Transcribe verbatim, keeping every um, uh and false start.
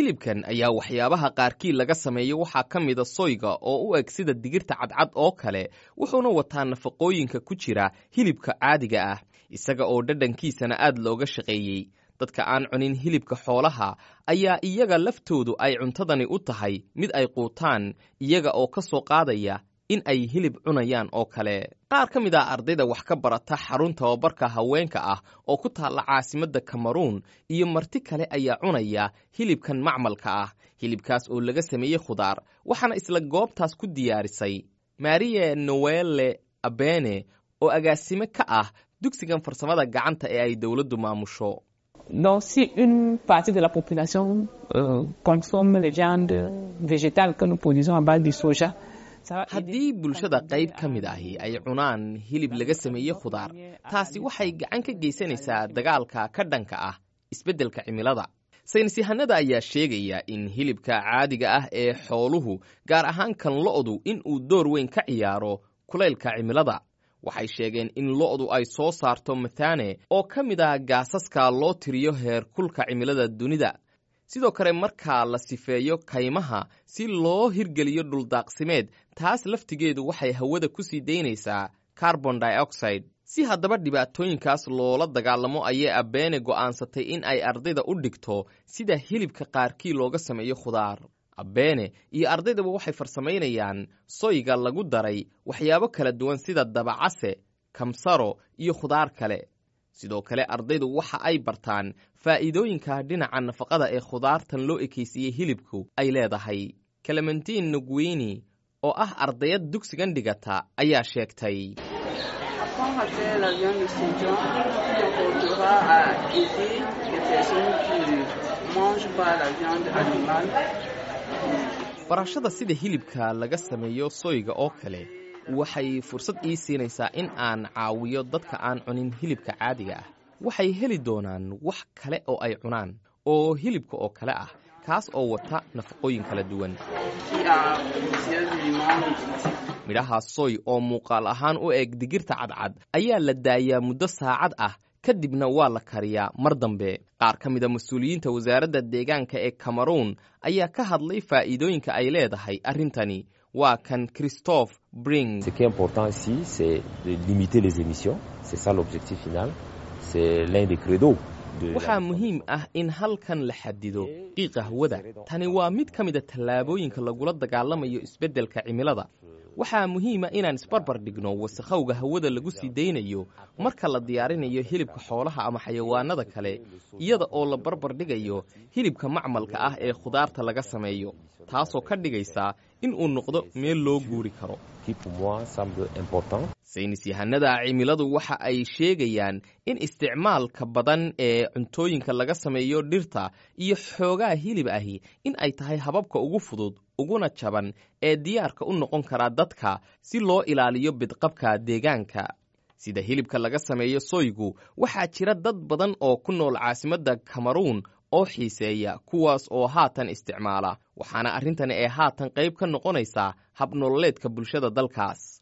Hilibkan ayaa waxyaabaha qaarkii laga sameeyo waxaa ka mida soyga oo u eg sida digirta cadcad oo kale, wuxuuna wataa nafaqooyinka ku jira hilibka caadiga ah, isaga oo dhadhankiisana aad looga shaqeeyey. Dadka aan cunin hilibka xoolaha ayaa iyaga laftoodu ay cuntadani u tahay mid ay quutaan, iyaga oo ka soo qaadaya in ay hilib cunayaan oo kale. Qaar ka mid ah ardayda wax ka barata xarun tababarka haweenka ah oo ku taalla caasimadda Kameruun iyo marti kale ayaa cunaya hilibkan macmalka ah, hilibkaas oo laga sameeyey khudaar, waxaana isla goobtaas ku diyaarisay Marie Noelle Abene oo agaasime ka ah dugsigan farsamada gacanta ee ay dowladdu maamusho. Donc, si une partie de la population euh, consomme les viandes végétales que nous produisons à base du soja, haddii bulshada qayb ka mid ahi ay cunaan hilib laga sameeyey khudaar, taasi waxay gacan ka geysanaysaa dagaalka ka dhanka ah isbeddelka cimilada. Saynis yahanada ayaa sheegaya in hilibka caadiga ah ee xooluhu, gaar ahaan kan lo'du, in uu door weyn ka ciyaaro kulaylka cimilada. Waxay sheegeen in lo'du ay soo saarto methane oo ka mid ah gaasaska loo tiriyo heer kulka cimilada dunida. Sidoo kale, markaa la sifeeyo kaymaha si loo hirgeliyo dhuldaaqsimeed, taas laftigeedu waxay hawada ku sii daynaysaa carbon dioxide. Si haddaba dhibaatooyinkaas loola dagaalamo ayay Abeene go'aansatay in ay ardayda u dhigto sida hilibka qaarkii looga sameeyo khudaar. Abeene iyo ardaydaba waxay farsamaynayaan soyga lagu daray waxyaabo kala duwan sida dabacase, kamsaro iyo khudaar kale. Sidoo kale ardaydu waxa ay bartaan faa'iidooyinka dhinaca nafaqada ee khudaartan loo ekaysiiyey hilibku ay leedahay. Clementine Nugwini oo ah ardayad dugsigan dhigata ayaa sheegtay: Apprendre à faire la viande de soja comportera à aider les personnes qui ne mangent pas la viande animale. Barashada sida hilibka laga sameeyo soyga oo kale waxay fursad ii siinaysaa in aan caawiyo dadka aan cunin hilibka caadiga ah. Waxay heli doonaan wax kale oo ay cunaan oo hilibka oo kale ah, kaas oo wata nafaqooyin kala duwan. Qui a plusieurs éléments nutritifs. Midhaha soy oo muuqaal ahaan u eg digirta cadcad ayaa la daayaa muddo saacad ah, kadibna waa la kariyaa mar dambe. Qaar ka mida mas-uuliyiinta wasaaradda deegaanka ee Cameroon ayaa ka hadlay faa'iidooyinka ay leedahay arrintani. Waa kan Christophe Bring. Ce qui est important ici, c'est de limiter les émissions. C'est ça l'objectif final. C'est l'un des credos de Waxaa muhiim ah in halkan la xadido qiiqa hawada. Tani waa mid ka mida tallaabooyinka lagula dagaalamayo isbeddelka cimilada. Waxaa muhiima inaan isbarbar dhigno wasakhowga hawada lagu sii daynayo marka la diyaarinayo hilibka xoolaha ama xayawaanada kale, iyada oo la barbar dhigayo hilibka macmalka ah ee khudaarta laga sameeyo, taasoo ka dhigaysa in uu noqdo meel loo guuri karo. Qui pour moi semble important. Saynis yahanada cimiladu waxa ay sheegayaan in isticmaalka badan ee cuntooyinka laga sameeyo dhirta iyo xoogaa hilib ahi in ay tahay hababka ugu fudud uguna jaban ee diyaarka u noqon karaa dadka si loo ilaaliyo bidqabka deegaanka, sida hilibka laga sameeyo soygu. Waxaa jira dad badan oo ku nool caasimadda Kameruun oo xiiseeya, kuwaas oo haatan isticmaala, waxaana arrintani ay haatan qayb ka noqonaysaa habnololeedka bulshada dalkaas.